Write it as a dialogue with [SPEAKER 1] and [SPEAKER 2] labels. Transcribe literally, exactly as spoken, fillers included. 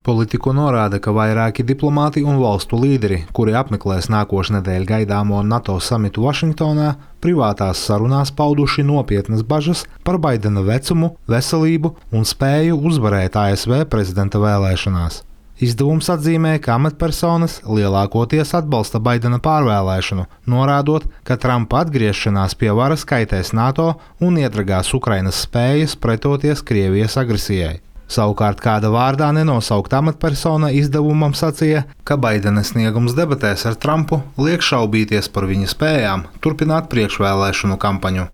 [SPEAKER 1] Politiko norāda, ka vairāki diplomāti un valstu līderi, kuri apmeklēs nākošnedēļ gaidāmo NATO samitu Vašingtonā, privātās sarunās pauduši nopietnas bažas par Baidena vecumu, veselību un spēju uzvarēt A S V prezidenta vēlēšanās. Izdevums atzīmē, ka amatpersonas lielākoties atbalsta Baidena pārvēlēšanu, norādot, ka Trumpa atgriešanās pie varas kaitēs NATO un iedragās Ukrainas spējas pretoties Krievijas agresijai. Savukārt kāda vārdā nenosaukta amatpersona izdevumam sacīja, ka Baidena sniegums debatēs ar Trumpu liek šaubīties par viņa spējām turpināt priekšvēlēšanu kampaņu.